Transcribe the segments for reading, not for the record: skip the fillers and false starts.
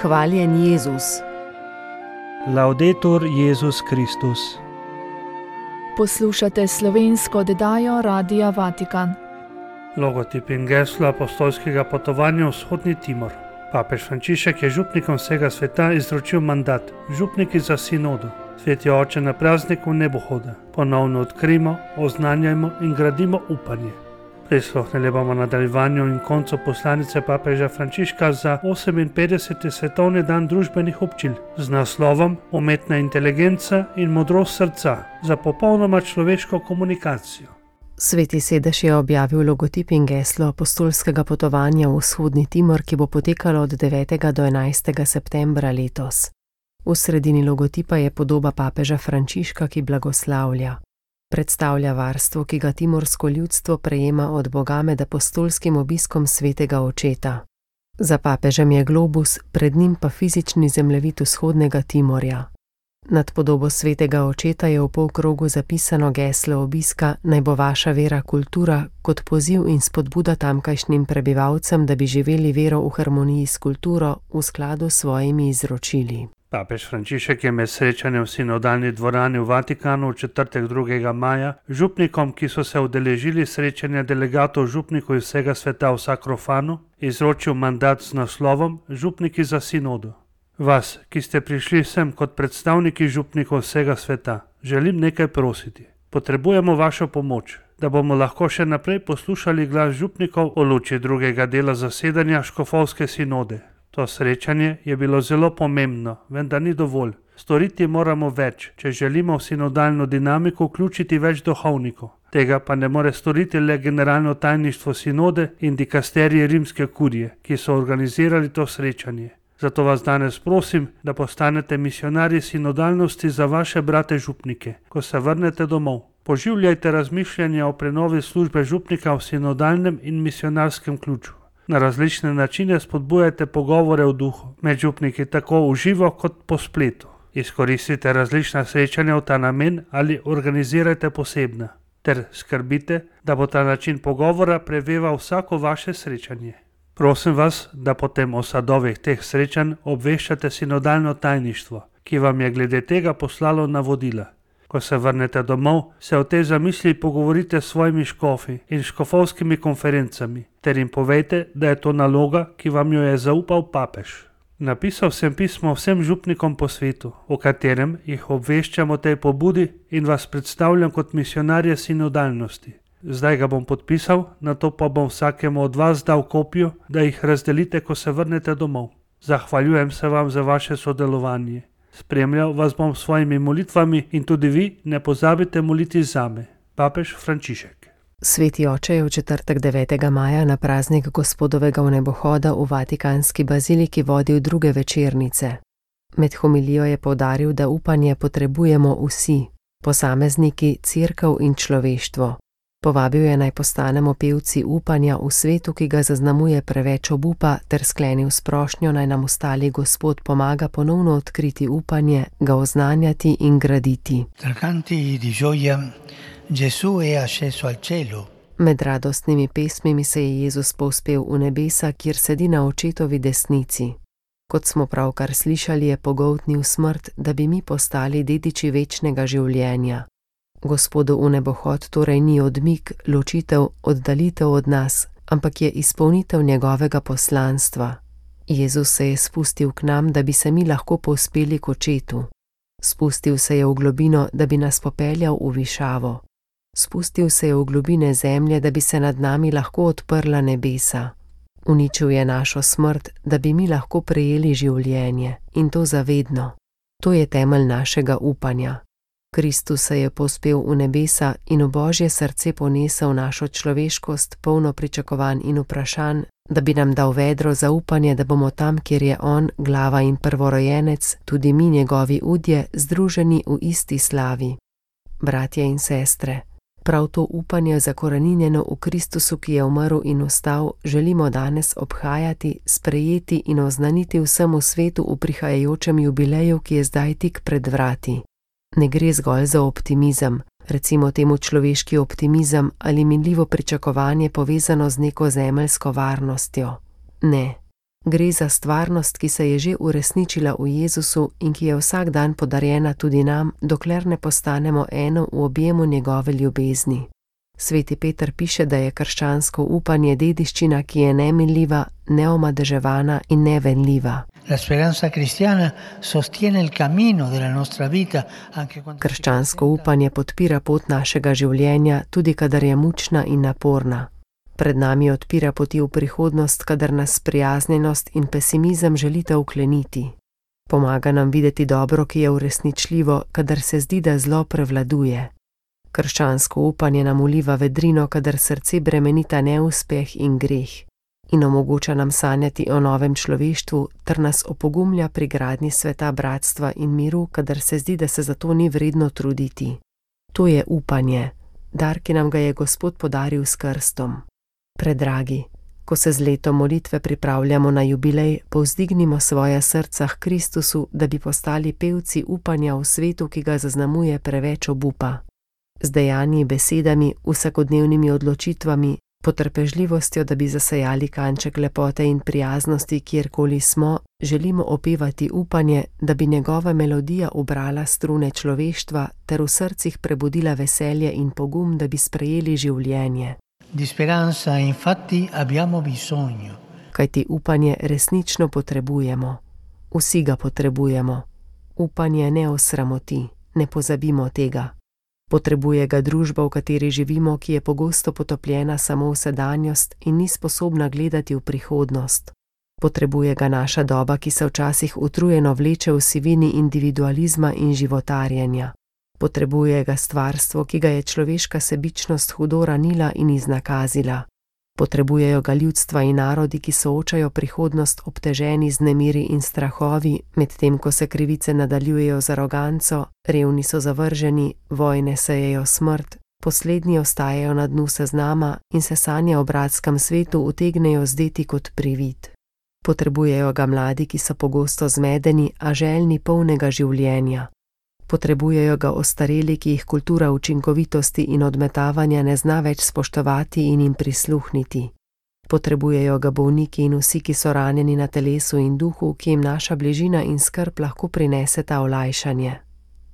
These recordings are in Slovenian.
Hvaljen Jezus. Laudetur Jezus Kristus. Poslušate slovensko oddajo Radia Vatikan. Logotip in geslo apostolskega potovanja v Vzhodni Timor. Papež Frančišek je župnikom vsega sveta izročil mandat, župniki za sinodo. Sveti oče, na prazniku nebohoda ponovno odkrijmo, oznanjajmo in gradimo upanje. Prisluhnili bomo nadaljevanju in koncu poslanice papeža Frančiška za 58. svetovni dan družbenih občil z naslovom Umetna inteligenca in modrost srca za popolnoma človeško komunikacijo. Sveti sedež je objavil logotip in geslo apostolskega potovanja v Vzhodni Timor, ki bo potekalo od 9. do 11. septembra letos. V sredini logotipa je podoba papeža Frančiška, ki blagoslavlja. Predstavlja varstvo, ki ga timorsko ljudstvo prejema od Boga med apostolskim obiskom svetega očeta. Za papežem je globus, pred njim pa fizični zemljevid Vzhodnega Timorja. Nad podobo svetega očeta je v polkrogu zapisano geslo obiska Naj bo vaša vera kultura, kot poziv in spodbuda tamkajšnjim prebivalcem, da bi živeli vero v harmoniji s kulturo v skladu s svojimi izročili. Papež Frančišek je med srečanjem v sinodalni dvorani v Vatikanu v četrtek 2. maja župnikom, ki so se udeležili srečanja delegatov župnikov iz vsega sveta v Sakrofanu, izročil mandat z naslovom Župniki za sinodo. Vas, ki ste prišli sem kot predstavniki župnikov vsega sveta, želim nekaj prositi. Potrebujemo vašo pomoč, da bomo lahko še naprej poslušali glas župnikov o luči drugega dela zasedanja škofovske sinode. To srečanje je bilo zelo pomembno, vendar ni dovolj. Storiti moramo več, če želimo v sinodalno dinamiko vključiti več duhovnikov. Tega pa ne more storiti le generalno tajništvo sinode in dikasterije rimske kurije, ki so organizirali to srečanje. Zato vas danes prosim, da postanete misionarji sinodalnosti za vaše brate župnike, ko se vrnete domov. Poživljajte razmišljanja o prenovi službe župnika v sinodalnem in misionarskem ključu. Na različne načine spodbujajte pogovore v duhu, med župniki tako v živo kot po spletu. Izkoristite različna srečanja v ta namen ali organizirajte posebna, ter skrbite, da bo ta način pogovora preveval vsako vaše srečanje. Prosim vas, da potem o sadovih teh srečanj obveščate sinodalno tajništvo, ki vam je glede tega poslalo navodila. Ko se vrnete domov, se o tej zamisli pogovorite s svojimi škofi in škofovskimi konferencami, ter jim povejte, da je to naloga, ki vam jo je zaupal papež. Napisal sem pismo vsem župnikom po svetu, v katerem jih obveščam o tej pobudi in vas predstavljam kot misionarje sinodalnosti. Zdaj ga bom podpisal, nato pa bom vsakemu od vas dal kopijo, da jih razdelite, ko se vrnete domov. Zahvaljujem se vam za vaše sodelovanje. Spremljal vas bom s svojimi molitvami in tudi vi ne pozabite moliti zame. Papež Frančišek. Sveti oče je v četrtek 9. maja na praznik Gospodovega vnebohoda v Vatikanski baziliki vodil druge večernice. Med homilijo je poudaril, da upanje potrebujemo vsi, posamezniki, cerkev in človeštvo. Povabil je naj postanemo pevci upanja v svetu, ki ga zaznamuje preveč obupa, ter sklenil s prošnjo, naj nam ostali Gospod pomaga ponovno odkriti upanje, ga oznanjati in graditi. Med radostnimi pesmimi se je Jezus povzpel v nebesa, kjer sedi na očetovi desnici. Kot smo pravkar slišali, je pogoltnil smrt, da bi mi postali dediči večnega življenja. Gospodu v nebohod torej ni odmik, ločitev, oddalitev od nas, ampak je izpolnitev njegovega poslanstva. Jezus se je spustil k nam, da bi se mi lahko povzpeli k očetu. Spustil se je v globino, da bi nas popeljal v višavo. Spustil se je v globine zemlje, da bi se nad nami lahko odprla nebesa. Uničil je našo smrt, da bi mi lahko prejeli življenje, in to zavedno. To je temelj našega upanja. Kristus se je povzpel v nebesa in v Božje srce ponesel našo človeškost, polno pričakovanj in vprašanj, da bi nam dal vedro zaupanje, da bomo tam, kjer je on, glava in prvorojenec, tudi mi njegovi udje, združeni v isti slavi. Bratje in sestre, prav to upanje zakoreninjeno v Kristusu, ki je umrl in vstal, želimo danes obhajati, sprejeti in oznaniti vsemu svetu v prihajajočem jubileju, ki je zdaj tik pred vrati. Ne gre zgolj za optimizem, recimo temu človeški optimizem ali minljivo pričakovanje povezano z neko zemeljsko varnostjo. Ne, Gre za stvarnost, ki se je že uresničila v Jezusu in ki je vsak dan podarjena tudi nam, dokler ne postanemo eno v objemu njegove ljubezni. Sveti Peter piše, da je krščansko upanje dediščina, ki je neminljiva, neomadeževana in nevenljiva. Krščansko upanje podpira pot našega življenja, tudi kadar je mučna in naporna. Pred nami odpira poti v prihodnost, kadar nas prijaznjenost in pesimizem želita ukleniti. Pomaga nam videti dobro, ki je uresničljivo, kadar se zdi, da zlo prevladuje. Krščansko upanje nam vliva vedrino, kadar srce bremenita neuspeh in greh, in omogoča nam sanjati o novem človeštvu ter nas opogumlja pri gradnji sveta bratstva in miru, kadar se zdi, da se za to ni vredno truditi. To je upanje, dar, ki nam ga je Gospod podaril s krstom. Predragi, ko se z letom molitve pripravljamo na jubilej, povzdignimo svoja srca k Kristusu, da bi postali pevci upanja v svetu, ki ga zaznamuje preveč obupa. Z dejanji, besedami, vsakodnevnimi odločitvami, potrpežljivostjo, da bi zasejali kanček lepote in prijaznosti, kjerkoli smo, želimo opevati upanje, da bi njegova melodija ubrala strune človeštva ter v srcih prebudila veselje in pogum, da bi sprejeli življenje. Di speranza infatti abbiamo bisogno. Kajti upanje resnično potrebujemo. Vsi ga potrebujemo. Upanje ne osramoti, ne pozabimo tega. Potrebuje ga družba, v kateri živimo, ki je pogosto potopljena samo v sedanjost in ni sposobna gledati v prihodnost. Potrebuje ga naša doba, ki se včasih utrujeno vleče v sivini individualizma in životarjenja. Potrebuje ga stvarstvo, ki ga je človeška sebičnost hudo ranila in iznakazila. Potrebujejo ga ljudstva in narodi, ki soočajo prihodnost obteženi z nemiri in strahovi, medtem ko se krivice nadaljujejo z aroganco, revni so zavrženi, vojne sejejo smrt, poslednji ostajajo na dnu seznama in se sanje o bratskem svetu utegnejo zdeti kot privid. Potrebujejo ga mladi, ki so pogosto zmedeni, a željni polnega življenja. Potrebujejo ga ostareli, ki jih kultura učinkovitosti in odmetavanja ne zna več spoštovati in jim prisluhniti. Potrebujejo ga bolniki in vsi, ki so ranjeni na telesu in duhu, ki jim naša bližina in skrb lahko prineseta olajšanje.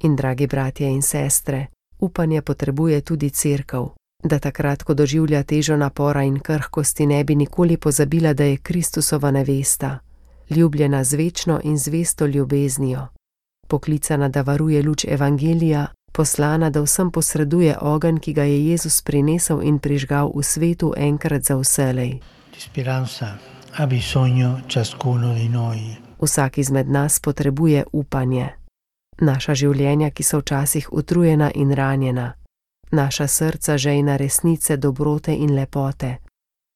In dragi bratje in sestre, upanje potrebuje tudi cerkev, da takrat, ko doživlja težo napora in krhkosti, ne bi nikoli pozabila, da je Kristusova nevesta, ljubljena z večno in zvesto ljubeznijo. Poklicana, da varuje luč evangelija, poslana, da vsem posreduje ogenj, ki ga je Jezus prinesel in prižgal v svetu enkrat za vselej. Vsak izmed nas potrebuje upanje. Naša življenja, ki so včasih utrujena in ranjena. Naša srca žejna resnice, dobrote in lepote.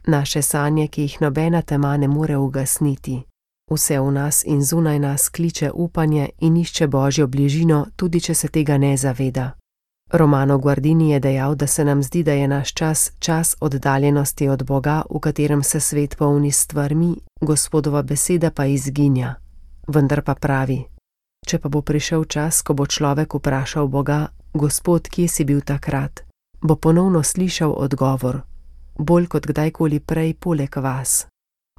Naše sanje, ki jih nobena tema ne more ugasniti. Vse v nas in zunaj nas kliče upanje in išče Božjo bližino, tudi če se tega ne zaveda. Romano Guardini je dejal, da se nam zdi, da je naš čas oddaljenosti od Boga, v katerem se svet polni s stvarmi, Gospodova beseda pa izginja. Vendar pa pravi, če pa bo prišel čas, ko bo človek vprašal Boga, Gospod, kje si bil takrat, bo ponovno slišal odgovor, bolj kot kdajkoli prej poleg vas.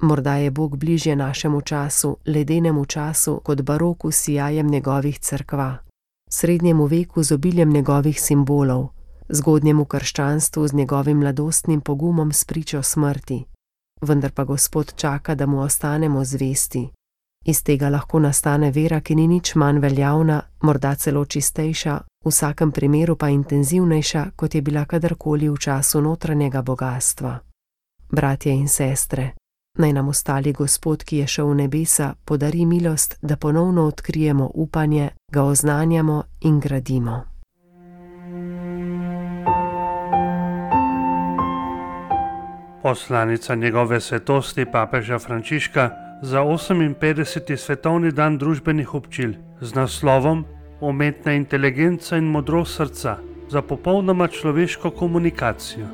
Morda je Bog bližje našemu času, ledenemu času, kot baroku s sijajem njegovih cerkva, srednjemu veku z obiljem njegovih simbolov, zgodnjemu krščanstvu z njegovim mladostnim pogumom s pričo smrti. Vendar pa Gospod čaka, da mu ostanemo zvesti. Iz tega lahko nastane vera, ki ni nič manj veljavna, morda celo čistejša, v vsakem primeru pa intenzivnejša, kot je bila kadarkoli v času notranjega bogastva. Bratje in sestre, naj nam ostali Gospod, ki je šel v nebesa, podari milost, da ponovno odkrijemo upanje, ga oznanjamo in gradimo. Poslanica njegove svetosti papeža Frančiška za 58. svetovni dan družbenih občil z naslovom Umetna inteligenca in modrost srca za popolnoma človeško komunikacijo.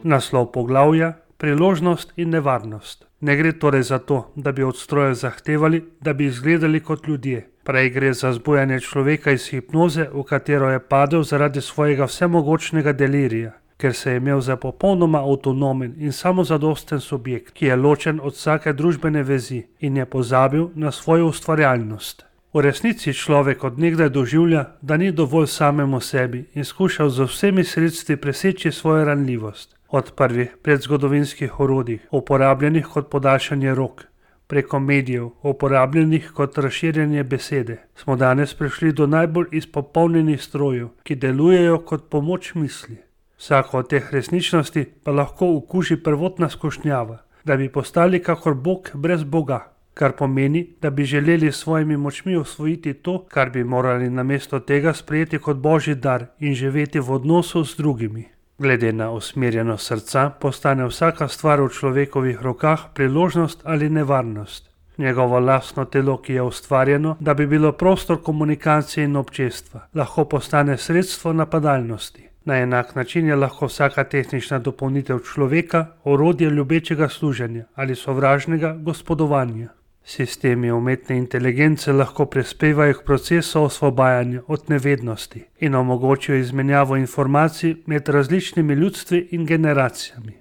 Naslov poglavja: Priložnost in nevarnost. Ne gre torej za to, da bi od strojev zahtevali, da bi izgledali kot ljudje. Prej gre za zbujanje človeka iz hipnoze, v katero je padel zaradi svojega vsemogočnega delirija, ker se je imel za popolnoma avtonomen in samozadosten subjekt, ki je ločen od vsake družbene vezi in je pozabil na svojo ustvarjalnost. V resnici človek od nekdaj doživlja, da ni dovolj samemu sebi in skušal z vsemi sredstvi preseči svojo ranljivost. Od prvih predzgodovinskih orodij, uporabljenih kot podaljšanje rok, preko medijev, uporabljenih kot razširjanje besede, smo danes prišli do najbolj izpopolnjenih strojev, ki delujejo kot pomoč misli. Vsako od teh resničnosti pa lahko okuži prvotna skušnjava, da bi postali kakor Bog brez Boga, kar pomeni, da bi želeli s svojimi močmi osvojiti to, kar bi morali namesto tega sprejeti kot božji dar in živeti v odnosu z drugimi. Glede na usmerjenost srca postane vsaka stvar v človekovih rokah priložnost ali nevarnost. Njegovo lastno telo, ki je ustvarjeno, da bi bilo prostor komunikacije in občestva, lahko postane sredstvo napadalnosti. Na enak način je lahko vsaka tehnična dopolnitev človeka orodje ljubečega služenja ali sovražnega gospodovanja. Sistemi umetne inteligence lahko prispevajo k procesu osvobajanja od nevednosti in omogočijo izmenjavo informacij med različnimi ljudstvi in generacijami.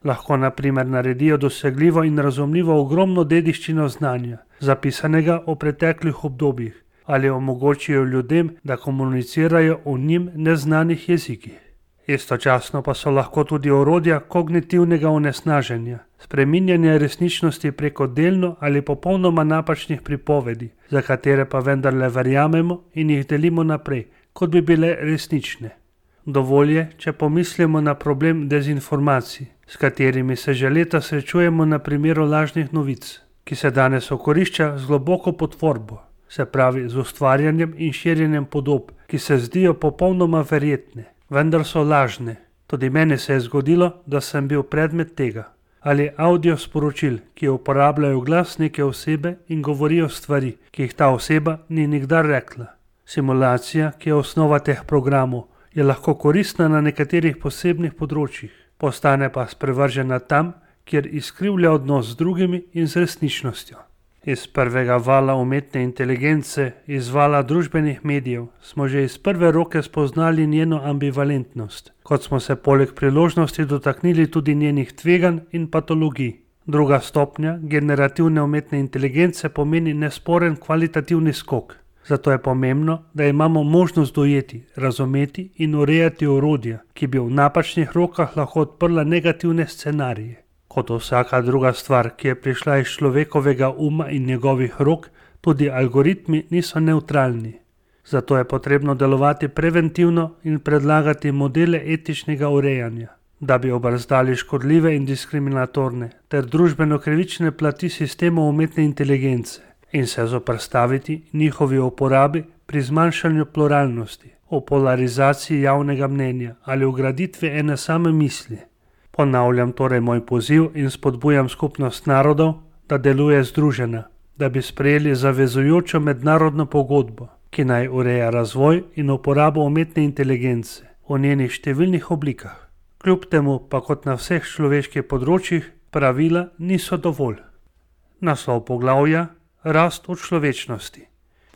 Lahko na primer naredijo dosegljivo in razumljivo ogromno dediščino znanja, zapisanega v preteklih obdobjih, ali omogočijo ljudem, da komunicirajo v njim neznanih jezikih. Istočasno pa so lahko tudi orodja kognitivnega onesnaženja, spreminjanja resničnosti preko delno ali popolnoma napačnih pripovedi, za katere pa vendarle verjamemo in jih delimo naprej, kot bi bile resnične. Dovolj je, če pomislimo na problem dezinformacij, s katerimi se že leta srečujemo na primeru lažnih novic, ki se danes okorišča z globoko potvorbo, se pravi z ustvarjanjem in širjenjem podob, ki se zdijo popolnoma verjetne, vendar so lažne. Tudi meni se je zgodilo, da sem bil predmet tega. Ali audio sporočil, ki uporabljajo glas neke osebe in govorijo stvari, ki jih ta oseba ni nikdar rekla. Simulacija, ki je osnova teh programov, je lahko koristna na nekaterih posebnih področjih, postane pa sprevržena tam, kjer izkrivlja odnos z drugimi in z resničnostjo. Iz prvega vala umetne inteligence, iz vala družbenih medijev, smo že iz prve roke spoznali njeno ambivalentnost, kot smo se poleg priložnosti dotaknili tudi njenih tveganj in patologij. Druga stopnja generativne umetne inteligence pomeni nesporen kvalitativni skok. Zato je pomembno, da imamo možnost dojeti, razumeti in urejati orodja, ki bi v napačnih rokah lahko odprla negativne scenarije. Kot vsaka druga stvar, ki je prišla iz človekovega uma in njegovih rok, tudi algoritmi niso nevtralni. Zato je potrebno delovati preventivno in predlagati modele etičnega urejanja, da bi obrzdali škodljive in diskriminatorne ter družbeno krivične plati sistemov umetne inteligence in se zoperstaviti njihovi uporabi pri zmanjšanju pluralnosti, o polarizaciji javnega mnenja ali ugraditvi ene same misli. Ponavljam torej moj poziv in spodbujam skupnost narodov, da deluje združena, da bi sprejeli zavezujočo mednarodno pogodbo, ki naj ureja razvoj in uporabo umetne inteligence v njenih številnih oblikah. Kljub temu pa kot na vseh človeških področjih pravila niso dovolj. Naslov poglavja: Rast v človečnosti.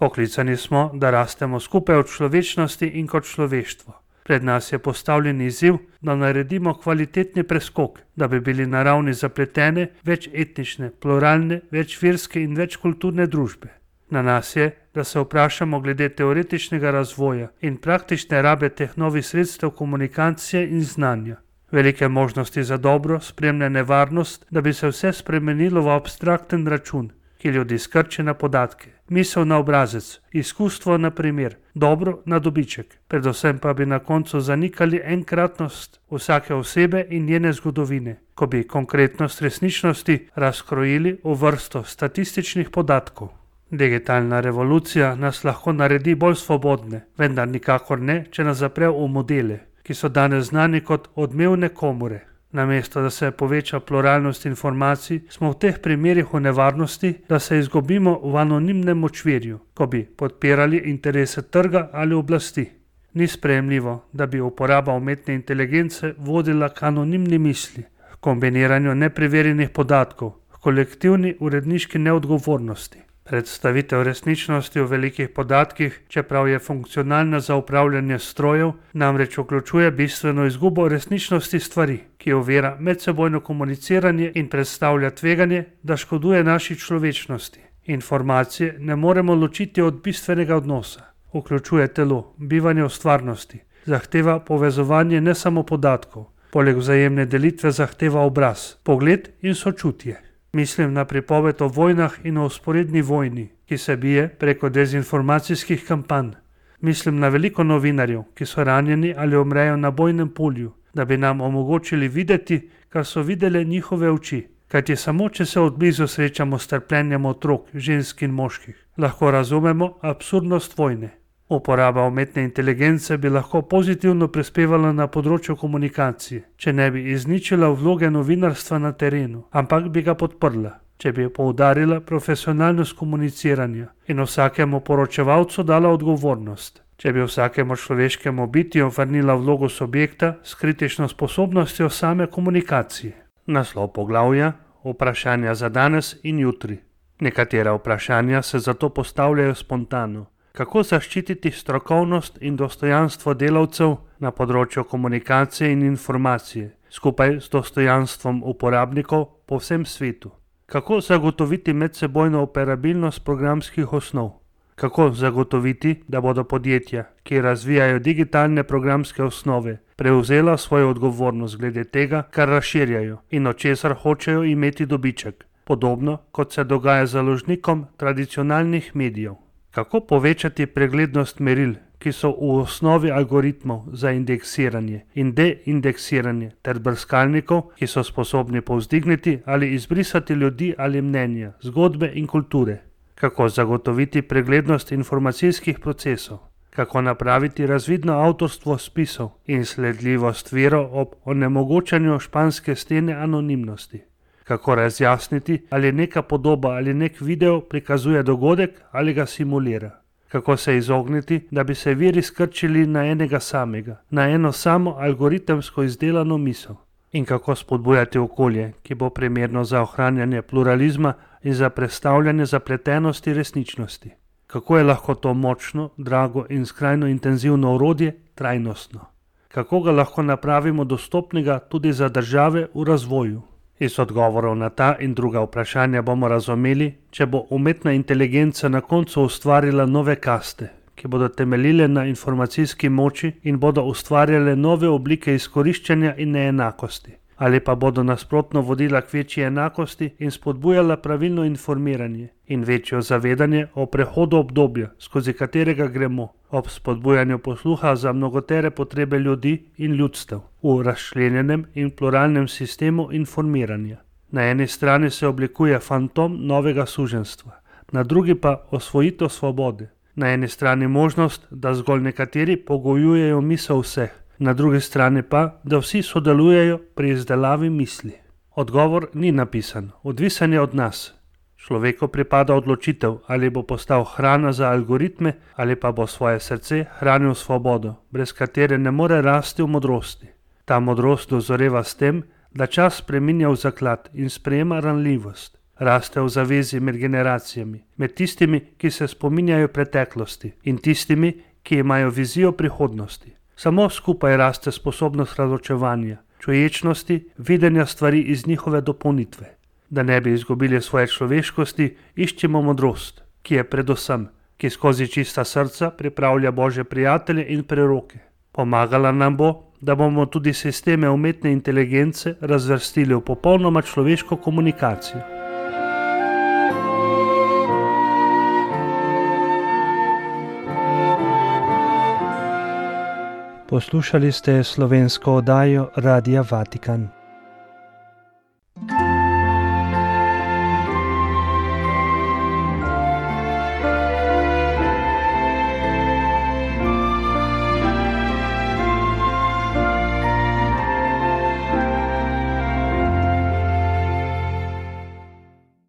Poklicani smo, da rastemo skupaj v človečnosti in kot človeštvo. Pred nas je postavljen izziv, da naredimo kvalitetni preskok, da bi bili na ravni zapletene, večetnične, pluralne, večverske in večkulturne družbe. Na nas je, da se vprašamo glede teoretičnega razvoja in praktične rabe teh novih sredstev komunikacije in znanja. Velike možnosti za dobro spremlja nevarnost, da bi se vse spremenilo v abstrakten račun, ki ljudi skrči na podatke, misel na obrazec, izkustvo na primer, dobro na dobiček, predvsem pa bi na koncu zanikali enkratnost vsake osebe in njene zgodovine, ko bi konkretnost resničnosti razkrojili v vrsto statističnih podatkov. Digitalna revolucija nas lahko naredi bolj svobodne, vendar nikakor ne, če nas zapre v modele, ki so danes znani kot odmevne komore. Namesto da se poveča pluralnost informacij, smo v teh primerih v nevarnosti, da se izgubimo v anonimnem močvirju, ko bi podpirali interese trga ali oblasti. Ni sprejemljivo, da bi uporaba umetne inteligence vodila k anonimni misli, kombiniranju nepreverjenih podatkov, kolektivni uredniški neodgovornosti. Predstavitev resničnosti v velikih podatkih, čeprav je funkcionalna za upravljanje strojev, namreč vključuje bistveno izgubo resničnosti stvari, ki ovira medsebojno komuniciranje in predstavlja tveganje, da škoduje naši človečnosti. Informacije ne moremo ločiti od bistvenega odnosa. Vključuje telo, bivanje v stvarnosti, zahteva povezovanje ne samo podatkov, poleg vzajemne delitve zahteva obraz, pogled in sočutje. Mislim na pripoved o vojnah in o vzporedni vojni, ki se bije preko dezinformacijskih kampanj. Mislim na veliko novinarjev, ki so ranjeni ali umrejo na bojnem polju, da bi nam omogočili videti, kar so videle njihove oči. Kajti samo, če se odblizu srečamo s trpljenjem otrok, žensk in moških, lahko razumemo absurdnost vojne. Uporaba umetne inteligence bi lahko pozitivno prispevala na področju komunikacije, če ne bi izničila vloge novinarstva na terenu, ampak bi ga podprla, če bi poudarila profesionalnost komuniciranja in vsakemu poročevalcu dala odgovornost, če bi vsakemu človeškemu bitju vrnila vlogo subjekta s kritično sposobnostjo same komunikacije. Naslov poglavja: vprašanja za danes in jutri. Nekatera vprašanja se zato postavljajo spontano. Kako zaščititi strokovnost in dostojanstvo delavcev na področju komunikacije in informacije, skupaj s dostojanstvom uporabnikov po vsem svetu? Kako zagotoviti medsebojno operabilnost programskih osnov? Kako zagotoviti, da bodo podjetja, ki razvijajo digitalne programske osnove, prevzela svojo odgovornost glede tega, kar razširjajo in od česar hočejo imeti dobiček, podobno kot se dogaja založnikom tradicionalnih medijev? Kako povečati preglednost meril, ki so v osnovi algoritmov za indeksiranje in deindeksiranje ter brskalnikov, ki so sposobni povzdigniti ali izbrisati ljudi ali mnenja, zgodbe in kulture? Kako zagotoviti preglednost informacijskih procesov? Kako napraviti razvidno avtorstvo spisov in sledljivost virov ob onemogočanju španske stene anonimnosti? Kako razjasniti, ali neka podoba ali nek video prikazuje dogodek ali ga simulira? Kako se izogniti, da bi se viri skrčili na enega samega, na eno samo algoritemsko izdelano misel? In kako spodbujati okolje, ki bo primerno za ohranjanje pluralizma in za predstavljanje zapletenosti resničnosti? Kako je lahko to močno, drago in skrajno intenzivno orodje trajnostno? Kako ga lahko napravimo dostopnega tudi za države v razvoju? Iz odgovorov na ta in druga vprašanja bomo razumeli, če bo umetna inteligenca na koncu ustvarila nove kaste, ki bodo temeljile na informacijski moči in bodo ustvarjale nove oblike izkoriščanja in neenakosti, ali pa bodo nasprotno vodila k večji enakosti in spodbujala pravilno informiranje in večjo zavedanje o prehodu obdobja, skozi katerega gremo, ob spodbujanju posluha za mnogotere potrebe ljudi in ljudstev v razčlenjenem in pluralnem sistemu informiranja. Na eni strani se oblikuje fantom novega suženjstva, na drugi pa osvojitev svobode. Na eni strani možnost, da zgolj nekateri pogojujejo misel vseh, na drugi strani pa, da vsi sodelujejo pri izdelavi misli. Odgovor ni napisan, odvisen je od nas. Človeku pripada odločitev, ali bo postal hrana za algoritme ali pa bo svoje srce hranil svobodo, brez katere ne more rasti v modrosti. Ta modrost dozoreva s tem, da čas spreminja v zaklad in sprejema ranljivost. Raste v zavezi med generacijami, med tistimi, ki se spominjajo preteklosti in tistimi, ki imajo vizijo prihodnosti. Samo skupaj raste sposobnost razločevanja, čuječnosti, videnja stvari iz njihove dopolnitve. Da ne bi izgubili svoje človeškosti, iščemo modrost, ki je predvsem, ki skozi čista srca pripravlja Božje prijatelje in preroke. Pomagala nam bo, da bomo tudi sisteme umetne inteligence razvrstili v popolnoma človeško komunikacijo. Poslušali ste slovensko oddajo Radia Vatikan.